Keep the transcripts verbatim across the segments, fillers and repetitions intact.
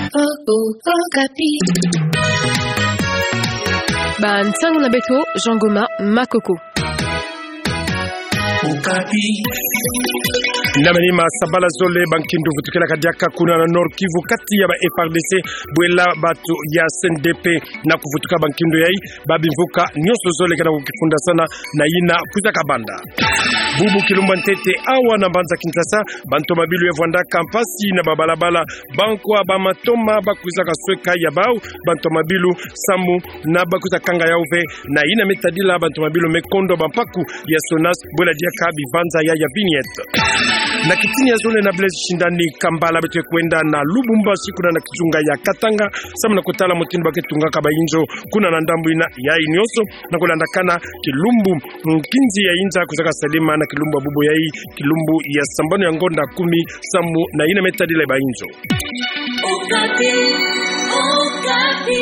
Okapi. Ba nsangu na beto, Jean Goma Makoko. Okapi. Na manima sabala zole, bankindu vutukelaka diaka kuna na Nord-Kivu kati ya ba F R D C bwela bato ya C N D P. Na kuvutuka bankindu yai, babimvuka nionso zole kena kukifundasana na yina kwiza kabanda. Bubu kilumbu ya ntete awa na mbanza Kinshasa, bantomabilu ya vwandaka mpasi na babalabala, bankwa, bamatoma bakwizaka sweka ya bau bantomabilu samu na bakwiza kanga yau ve, na yina me tadila bantomabilu me kondo bampaku ya SONAS bwela diaka bivanza ya, ya vignette. Na kitini ya zole na Blaise Shindani Kambala, beto ke kwenda na Lubumbashi kuna na kizunga ya Katanga, samu na kutala mutindu ba ke tungaka bayinzo kuna na ndambu yina. Yai nionso na kulandakana kilumbu nkinzi ya inza kwizaka salema na kilumbu ya bubu yai, kilumbu ya sambanu ya ngonda kumi, samu na yina me tadila bayinzo. Okapi, Okapi.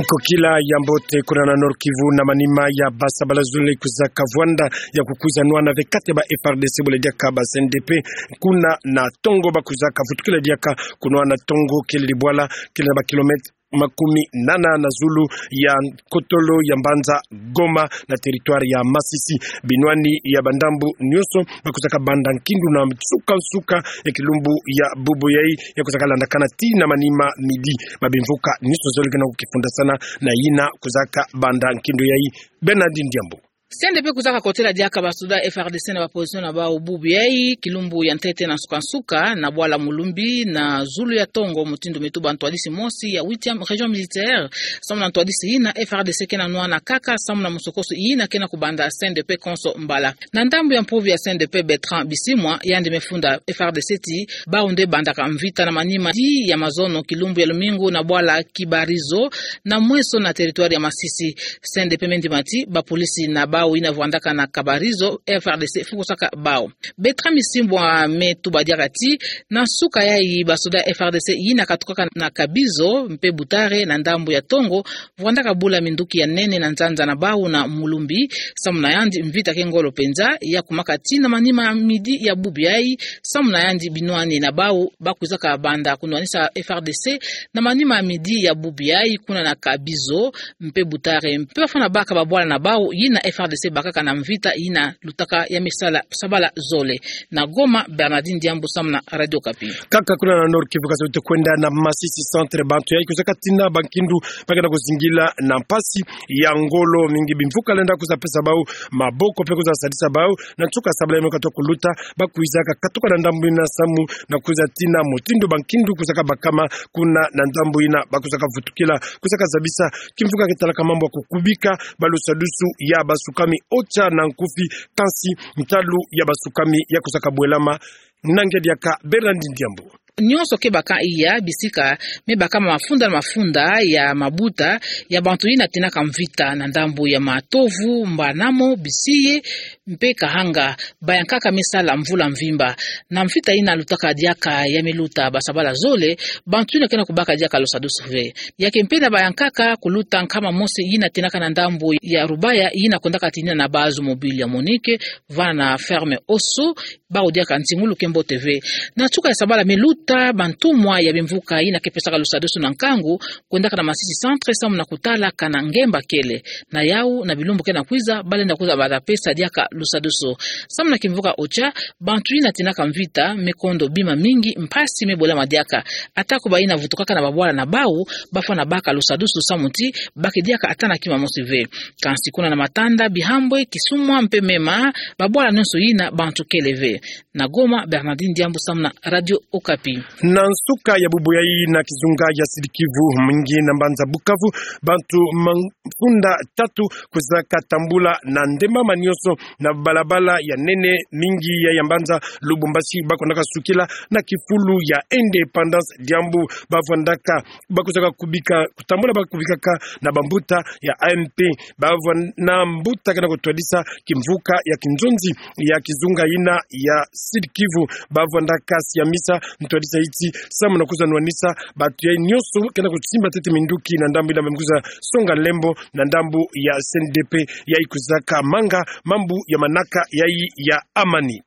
Nkokila ya mbote kuna na Nord-Kivu. Na manima ya ba sabala zole kwizaka vwanda ya kukwiza nwana ve kati ya ba F R D C bwela diaka ba C N D P kuna na tongo, bakwizaka vutukila diaka kunwana tongo kele dibwala kele na ba kilomètre makumi nana na zulu ya nkotolo ya mbanza Goma na territoire ya Masisi. Binwani ya bandambu nionso bakwizaka banda nkindu na nsuka nsuka ya kilumbu ya bubu yai, ya kwizaka landakana tii na manima midi. Babimvuka nionso zole kena kukifundasana na yina kwizaka banda nkindu yai. Bernardine Diambu. C N D P kwizaka kotela diaka basoda F R D C na ba position na bau bubu yai, kilumbu ya ntete na nsuka nsuka, na bwala Mulumbi, na zulu ya tongo, mutindu me tuba ntwadisi mosi ya huitième région militaire, samu na ntwadisi yina F R D C kena nwana kaka, samu na musokoso yina kena kubanda C N D P konso mbala. Na ndambu ya mpuvi ya C N D P, Bertrand Bisimwa, yandi me funda F R D C ti bau nde bandaka mvita na manima di ya mazono, kilumbu ya lumingu, na bwala Kibarizo, na mweso na territoire ya Masisi. C N D P me ndima ti bapolisi na bau yina vwandaka na Kabarizo, F R D C fukosaka bau. Bertrand Bisimwa me tuba diaka ti na nsuka yai, basoda F R D C yina katukaka na Kabizo mpe Butare na ndambu ya tongo, vwandaka bula minduki ya nene na nzanza na bau na Mulumbi. Samu na yandi, mvita ke ngolo penza, ya kumaka tii na manima midi ya bubu yai. Samu na yandi, binwani na bau bakwizaka banda kunwanisa F R D C na manima midi ya bubu yai kuna na Kabizo mpe Butare, mpe bafwana baka babwala na bau yina F R D C bakaka na mvita yina lutaka ya misala sabala zole. Na Goma, Bernardine Diambu, samu na Radio Okapi. Kaka kuna na Nord-Kivu, kasi beto ke kwenda na Masisi Centre, bantu yai kwizaka tina bankindu ba kena kuzingila na mpasi ya ngolo mingi. Bimvuka lenda kwiza pesa bau maboko mpe kwiza sadisa bau. Na nsuka sabala yai me katuka kuluta, bakwizaka katuka na ndambu yina samu na kwiza tina mutindu bankindu kwizaka bakama kuna na ndambu yina bakwizaka vutukila. Kwizaka zabisa kimvuka ke talaka mambu ya kukubika balusadusu ya basukami, OCHA na nkufi, kansi ntalu ya basukami ya kwizaka bwelama. Na ngedi diaka Bernardine Diambu. Nionso ke baka iya bisika me bakama mafunda na mafunda ya mabuta ya bantu yina tinaka mvita na ndambu ya Matovu, Mbanamo, Bisiye mpe Kahanga. Bayankaka me sala mvula mvimba. Na mvita yina lutaka diaka ya me luta basabala zole, bantu yina kena kubaka diaka lusadusu ve. Ya ke mpe na bayankaka kuluta nkama mosi yina tinaka na ndambu ya Rubaya, yina kwendaka tinina na base mobile ya MONUC, vana na ferme Oso, bau diaka nzingulu ke mbote ve. Na nsuka ya sabala me luta bantumwa ya bimvuka yina ke pesaka lusadusu na nkangu, kwendaka na Masisi Centre samu na kutala kana ngemba kele. Na yau, na bilumbu kena kwiza, balenda kwiza bata pesa diaka lusadusu. Samu na kimvuka OCHA, bantu yina tinaka mvita me kondo bima mingi, mpasi me bwelama diaka. Atako bayina vutukaka na babwala na bau, bafwana baka lusadusu samu ti ba ke diaka ata na kima mosi ve. Kansi kuna na Matanda, Bihambwe, Kisumwa mpe Mema, babwala nionso yina bantu kele ve. Na Goma, Bernardine Diambu samu na Radio Okapi. Na nsuka ya bubu yai na kizunga ya Sud-Kivu, mingi na mbanza Bukavu, bantu mafunda tatu kwizaka tambula na ndembama nionso na balabala ya nene mingi ya, ya mbanza Lubumbashi, ba kwendaka sukila na kifulu ya Indépendance, diambu bavwandaka, bakwizaka kubika, kutambula ba kubikaka na bambuta ya A M P. Bavwanda mbuta kena kutwadisa kimvuka ya kinzonzi ya kizunga yina ya Sud-Kivu. Bavwandaka siamisa ntwadisa yiti samu na kwiza nwanisa bantu yai nionso kena kusimba ntete minduki na ndambu yina ba me kwiza songa lembo na ndambu ya C N D P yai kwizaka manga mambu ya manaka yai ya amani.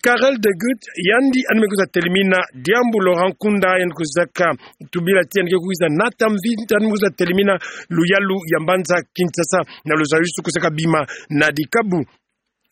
Karel de Gucht, yandi yandi me kwiza telimina diambu Laurent Nkunda yandi kwizaka tubila ti yandi ke kwiza nata mvita, yandi me kwiza telimina luyalu ya mbanza Kinshasa, na luzayusu kwizaka bima na dikabu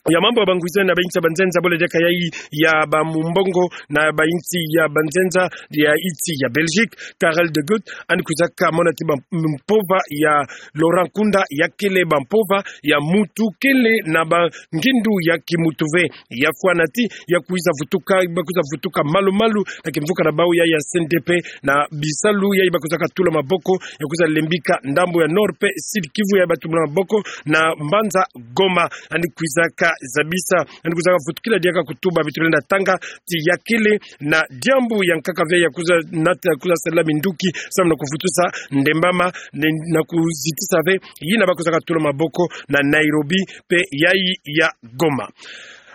ya mambu ya bangwiza na bainsi ya banzenza, bole diaka yayi ya bamumbongo na bainsi ya banzenza ya insi ya Belgique. Karel de Gucht yandi kwizaka mona ti bampova ya Laurent Nkunda ya kele bampova ya mutu kele na bangindu ya kimutu ve. Ya fwana ti ya kwiza vutuka, ba kwiza vutuka malu-malu na kimvuka na bau ya, ya C N D P, na bisalu yayi ba kwizaka tula maboko ya kwiza lembika ndambu ya Nord pe Sud Kivu, yayi ba tula maboko na mbanza Goma. Yandi kwizaka zabisa, yandi kwizaka vutukila diaka kutuba bitu lenda tanga ti ya kele na diambu ya nkaka ve ya kwiza nata, ya kwiza sala minduki samu na kuvutusa ndembama ne-, na kuzitisa ve yina ba kwizaka tula maboko na Nairobi pe yayi ya Goma.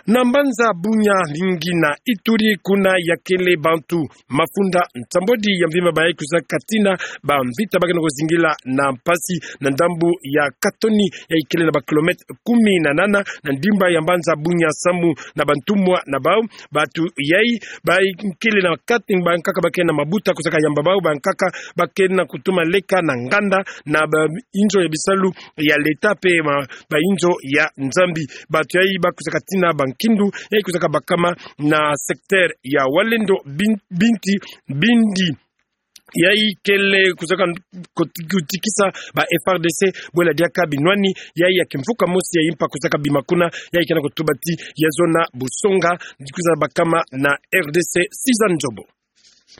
Na mbanza Bunia mingi na Ituri kuna ya kele bantu mafunda nsambwadi ya mvimba bayayi kwizaka tina bamvita ba kena kuzingila na mpasi na ndambu ya Katoni, yayi kele na ba kilomètre kumi na nana na ndimba ya mbanza Bunia samu na bantumwa na bau. Bantu yayi ba kele na kati, bankaka ba kele na mabuta kwizaka yamba bau, bankaka ba kele na kutuma leka na nganda na bainzo ya bisalu ya leta pe ma-, bainzo ya Nzambi. Bantu yayi ba kwizaka tina bankindu yayi kwizaka bakama na secteur ya Walendo Bin-, Binti, Bindi. Yayi kele kwizaka kot-, kutikisa ba F A R D C, bwela diaka binwani yayi ya kimvuka mosi ya impa kwizaka bima kuna, yayi kena kutuba ti ya zona busonga, kwiza bakama na R D C. Sizani Nzobo.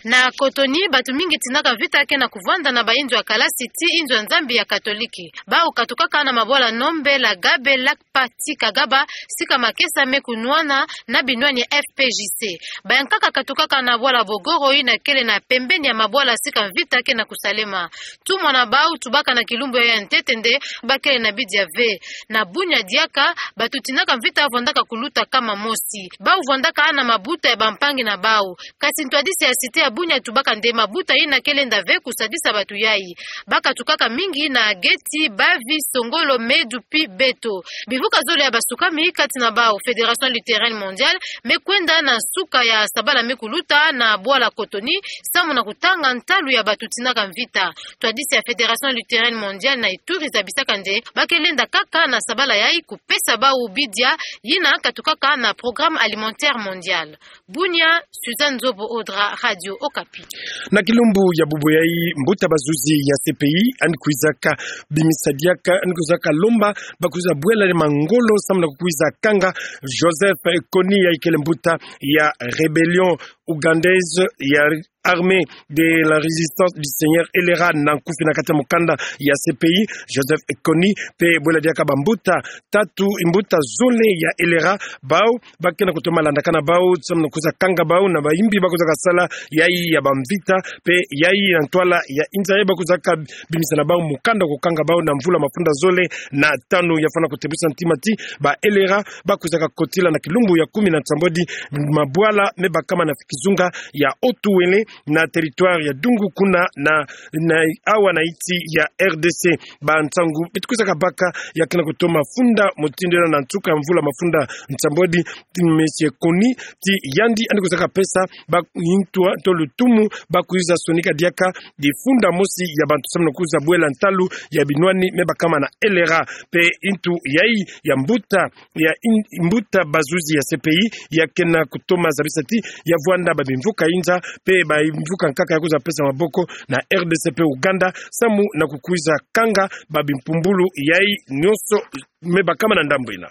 Na Cotonou, bantu mingi tinaka mvita kena kuvwanda na bainzo ya kalasi ti inzo ya Nzambi ya Katoliki. Bau katukaka na mabwala Nombe, Lagabe, Lakpa ti Kagaba, sika makesa me kunwana na binwani ya F P J C. Bayankaka katukaka na bwala Bogoro yina kele na pembeni ya mabwala sika mvita kena kusalema. Tumwa na bau tubaka na kilumbu ya ntete nde ba kele na bidia ve. Na Bunia diaka, bantu tinaka mvita vwandaka kuluta kama mosi. Bau vwandaka na mabuta ya bampangi na bau. Kasi ntwadisi ya cité ya Bunia tubaka nde mabuta yina kele nda ve kusadisa bantu yayi. Ba katukaka mingi na Geti, Bavi, Songolo, Medu pi Beto. Bivuka zole ya basukami, kati na bau Fédération Luthérienne Mondiale, me kwenda na nsuka ya sabala me kuluta na bwala Cotonou, samu na kutanga ntalu ya bantu tinaka mvita. Ntwadisi ya Fédération Luthérienne Mondiale na Ituri zabisaka nde ba kele nda kaka na sabala yayi kupesa bau bidia yina katukaka na Programme Alimentaire Mondial. Bunia, Suzanne Nzobo Odra, Radio Okapi. Na kilumbu ya bubu yayi, mbuta bazuzi ya C P I yandi kwizaka bimisa diaka, yandi kwizaka lomba ba kwiza bwela le mangolo samu na kukwiza kanga Joseph Kony, yayi kele mbuta ya Rébellion Ougandaise ya Armée de la Résistance du Seigneur, L R A na nkufi na kati ya mukanda ya C P I, Joseph Kony, pe bwela diaka bambuta tatu, mbuta zole ya L R A, bau ba kena kutoma landakana bau, samu na kwiza kanga bau na bayimbi ba kwizaka sala yayi ya bamvita, pe yayi na ntwala ya inza yayi ba kwizaka bimisana bau mukanda kukanga bau na mvula mafunda zole na tanu. Ya fwana kutebusa ntima ti ba L R A ba kwizaka kotila na kilumbu ya kumi na nsambwadi mabwala me bakama na kizunga ya Haut-Uélé na territoire ya Dungu kuna na, na awa na insi ya R D C. Bansangu beto kwizaka baka ya kena kutoma funda mutindu yina na nsuka ya mvula mafunda nsambwadi. Ti Monsieur Kony, ti yandi yandi kwizaka pesa ba intwa to lutumu ba kwiza sonika diaka difunda mosi ya bantu samu na kwiza bwela ntalu ya binwani me bakama na L R A. Pe ntu yayi ya mbuta ya in-, mbuta bazuzi ya C P I ya kena kutoma zabisa ti ya vwanda babimvuka inza pe bamvuka nkaka ya kwiza pesa maboko na R D C pe Ouganda samu na kukwiza kanga babimpumbulu yayi nionso me bakama na ndambu yina.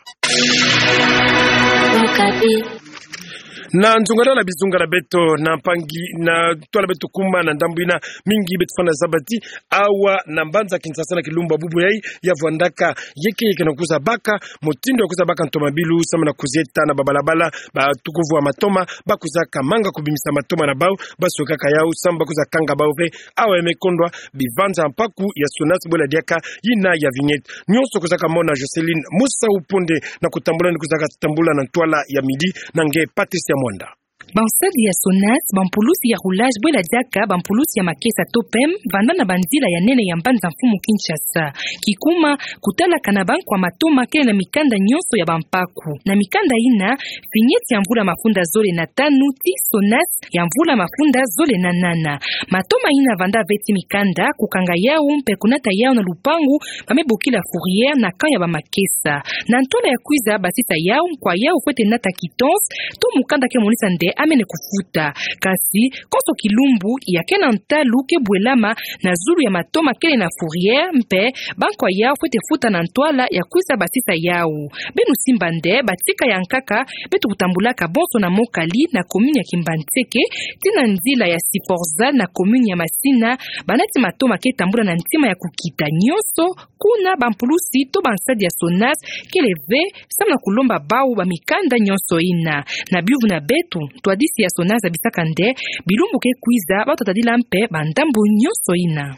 Na nzungadala bizunga na beto na mpangi na ntwala beto kuma na ndambu yina, mingi beto fwana zaba ti awa na mbanza Kinshasa na kilumbu ya bubu yayi ya vwandaka yeke yeke na kwiza baka mutindu ya kwiza baka ntomabilu samu na kuzieta na babalabala, batu kuvwa matoma ba kwizaka manga kubimisa matoma na bau, ba sokaka yau samu ba kwiza kanga bau ve. Awa ya me kondwa bivanza mpaku ya SONAS bwela diaka yina ya vignette. Nionso kwizaka mona Jocelyne Musa Uponde na kutambula ni kwizaka tambula na ntwala ya midi na nge Patricia Mwanda. Bansadi ya SONAS, bampulusi ya roulage bwela diaka bampulusi ya makesa to pem, vanda na banzila ya nene ya mbanza-mfumu Kinshasa. Kikuma, kutalaka na bankwa matoma kele na mikanda nyonso ya bampaku. Na mikanda ina, finyeti ya mvula mafunda zole na tanu ti SONAS ya mvula mafunda zole na nana. Matoma ina vanda ve ti mikanda, kukanga yau mpe kunata yau na lupangu ba me bokila fourrière na camp ya bamakesa. Na ntwala ya kwiza basisa yau, nkwa yau fwete nata quittance to mukanda ke monisa nde amene kufuta. Kasi, konso kilumbu ya ke na ntalu ke bwelama na zulu ya matoma kele na fourrière, mpe bankwa yau fwete futa na ntwala ya kwiza basisa yau. Beno simba nde batika ya nkaka beto kutambulaka bonso na Mokali na commune ya Kimbanseke, ti na nzila ya Siforza na commune ya Masina, banati matoma ke tambula na ntima ya kukita nyonso, kuna bampulusi to bansadi ya SONAS kele ve, samu na kulomba bau bamikanda nyonso ina. Na biuvu na beto, ntwadisi ya SONAS abisaka nde bilumbu ke kwiza, bau tatadila mpe bandambu nyonso ina.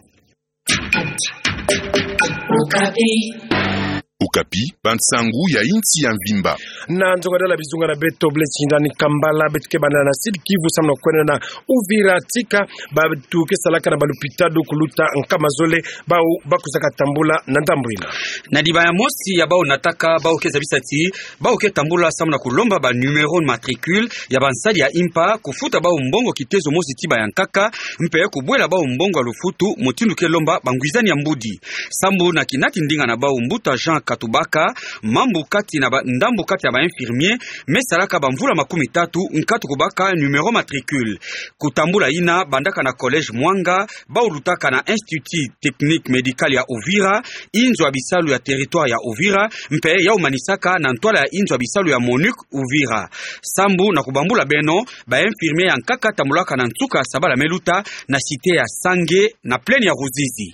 Okapi, bansangu ya insi ya mvimba. Na nzonga dala bizunga na beto, Blaise Shindani Kambala, beto ke banda na Sud-Kivu samu na kwenda na Uvira, tika bato ke salaka na balupitalu kuluta nkama zole, bau ba kwizaka tambula na ndambu ina. Na liba ya mosi ya bau nataka, bau ke zabisa ti bau ke tambula samu na kulomba ba numéro matricule ya bansadi ya impa, kufuta bau mbongo kitezo mosi ti ba ya nkaka, mpe kubwela bau mbongo ya lufutu, mutindu ke lomba bangwizani ya mbudi. Sambu na kinati ndinga na bau, mbuta Jean Katubaka, mambu kati na ba, ndambu kati ya ba infirmier, me salaka bamvula makumi tatu nkatu kubaka numéro matricule. Kutambula ina bandaka na collège Mwanga, bau lutaka na Institut Technique Médical ya Uvira, inzo ya bisalu ya territoire ya Uvira, mpe yau manisaka na ntwala ya inzo ya bisalu ya MONUC Uvira. Sambu na kubambula beno, ba infirmier ya nkaka tambulaka na nsuka ya sabala me luta na cité ya Sange, na plaine ya Ruzizi.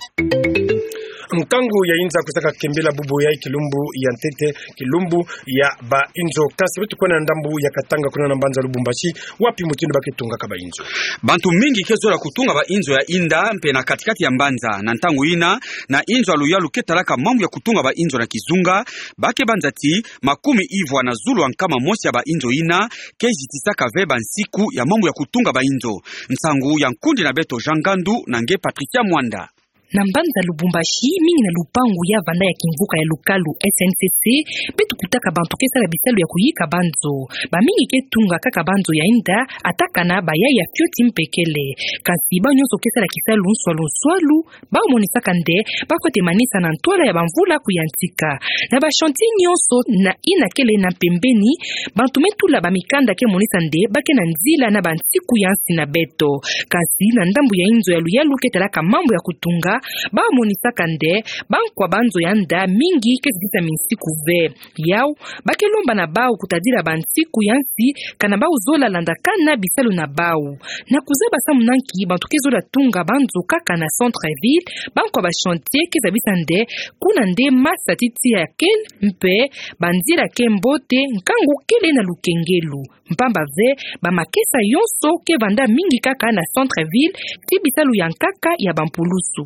Nkangu ya inza kwizaka kembela bubu ya kilumbu ya ntete, kilumbu ya ba inzo. Kasi beto kwenda na ndambu ya Katanga, kuna na mbanza Lubumbashi, wapi mutindu ba ke tungaka ba inzo. Bantu mingi ke zola kutunga ba inzo ya inda mpe na kati-kati ya mbanza. Na ntangu ina, na inzo ya luyalu ke talaka mambu ya kutunga ba inzo na kizunga, ba ke banza ti makumi ivwa na zulu ya nkama mosi ya ba inzo ina ke zitisaka ve bansiku ya mambu ya kutunga ba inzo. Nsangu ya nkundi na beto Jean Ngandu na nge Patricia Mwanda. Na mbanza Lubumbashi, mingi na lupangu ya vanda ya kimvuka ya lukalu S N C C, beto kutaka bantu ke sala bisalu ya kuyika banzo. Bamingi ke tunga kaka banzo ya inda, ata kana bayaya fioti mpe kele. Kasi bau nyonso ke sala kisalu nswalu-nswalu, bau monisaka nde ba fwete manisa na ntwala ya bamvula kuyantika. Na ba chantier nyonso na ina kele na mpembeni, bantu me tula bamikanda ke monisa nde ba ke na nzila na bansiku ya nsi na beto. Kasi na ndambu ya inzo ya luyalu ke talaka mambu ya kutunga, bau monisaka nde bankwa banzo ya nda mingi ke zitisa minsiku ve. Yau, ba ke lomba na bau kutadila bansiku ya nsi, kana bau zola landakana bisalu na bau. Na kuzaba samu na nki bantu ke zola tunga banzo kaka na centre-ville, bankwa ba chantier ke zabisa nde kuna nde masa ti tiya kele, mpe banzila ke mbote, nkangu kele na lukengelu. Mpamba ve, bamakesa yonso ke vanda mingi kaka na centre-ville, ti bisalu ya nkaka ya bampulusu.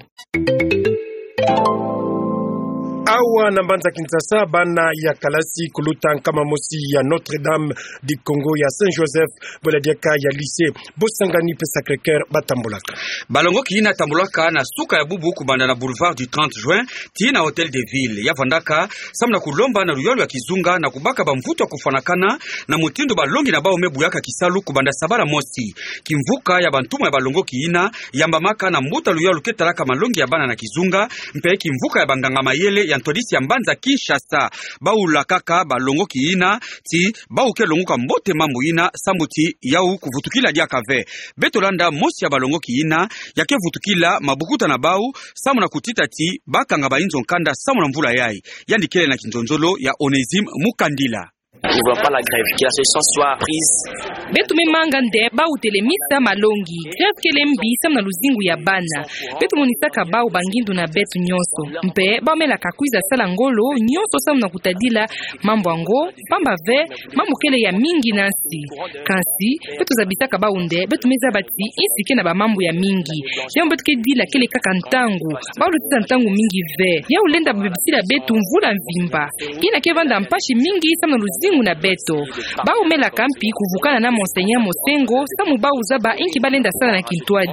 Awa na mbanza Kinshasa, bana ya kalasi kuluta nkama mosi ya Notre-Dame du Congo, ya Saint-Joseph, bwela diaka ya lycée Bosangani mpe Sacré-Cœur ba tambulaka. Balongoki ina tambulaka na suka ya bubu kubanda na boulevard du trente juin, tii na Hôtel de Ville. Ya vandaka samu na kulomba na luyalu ya kizunga na kubaka bamvutu ya kufwanakana na mutindu balongi na bau me buyaka kisalu kubanda sabala mosi. Kimvuka ya bantumwa ya balongoki ina yambamaka na mbuta luyalu ke talaka malongi ya bana na kizunga, mpe kimvuka ya banganga-mayele ya ntwadisi ya mbanza Kinshasa. Bau lakaka balongoki ina ti bau ke longuka mbote mambu ina, sambu ti yau kuvutukila diaka ve. Beto landa mosi ya balongoki ina ya ke vutukila mabukuta na bau, samu na kutita ti ba kanga ba inzo nkanda samu na mvula yai. Yandi kele na kinzonzolo ya Onésime Mukandila. Nous voulons pas la grève, que la solution soit prise. Beto me manga nde bau telemisa malongi. Grève kele mbi samu na luzingu ya bana. Beto monisaka bau bangindu na beto nyonso. Mpe bau melaka kwiza sala ngolo nyonso samu na kutadila mambu yango, mpamba ve, mambu kele ya mingi na nsi. Kansi, beto zabisaka bau nde beto me zaba ti nsi ke na bamambu ya mingi. Yambu beto ke dila kele kaka ntangu. Bau lutisa ntangu mingi ve. Yau lenda babebisila beto mvula mvimba. Ina ke vanda mpasi mingi samu na luzingu luzingu na beto. Bau melaka mpi kuvukana na Monseigneur Mosengo, samu bau zaba inki balenda sala na kintwadi.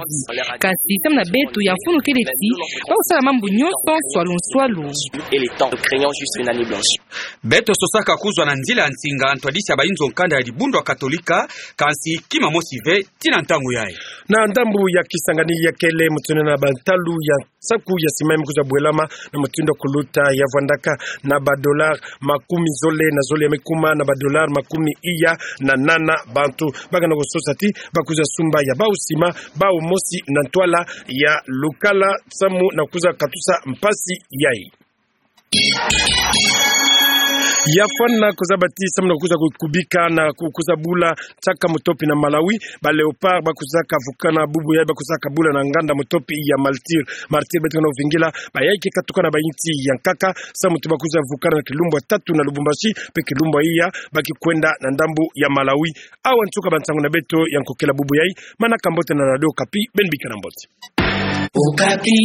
Kansi samu na beto ya mfunu kele ti, bau sala mambu nyonso nswalu nswalu. Et les temps, craignant juste une année blanche. Beto sosaka kuzwa na nzila ya nsinga ntwadisi ya bayinzo nkanda ya dibundu ya Katolika, kansi kima mosi ve, tii na ntangu yayi. Na ndambu ya Kisangani ya kele mutindu na bantalu ya saku ya sima ya me kwiza bwelama na mutindu ya kuluta ya vwandaka na ba dollars makumi zole na zole ya me kuma na ba dollars makumi iya na nana. Bantu bakana kusosa ti bakwiza sumba ya bau sima, bau mosi na ntwala ya lukala samu na kwiza katusa mpasi yayi. Ya fwana kuzaba ti samu na kwiza ku-, kubika na ku-, kwiza bula nsaka mutopi na Malawi, ba Léopards bakwizaka vukana bubu yayi, bakwizaka bula na nganda mutopi ya Martyrs. Martyrs beto kana vingila, bayayi ke katuka na bayinsi ya nkaka, samu ti bakwiza vukana na kilumbu ya tatu na Lubumbashi, mpe kilumbu ya iya bakikwenda na ndambu ya Malawi. Awa nsuka ba nsangu na beto ya nkokela bubu yayi. Manaka mbote na Radio Okapi, beno bikana mbote. Okapi.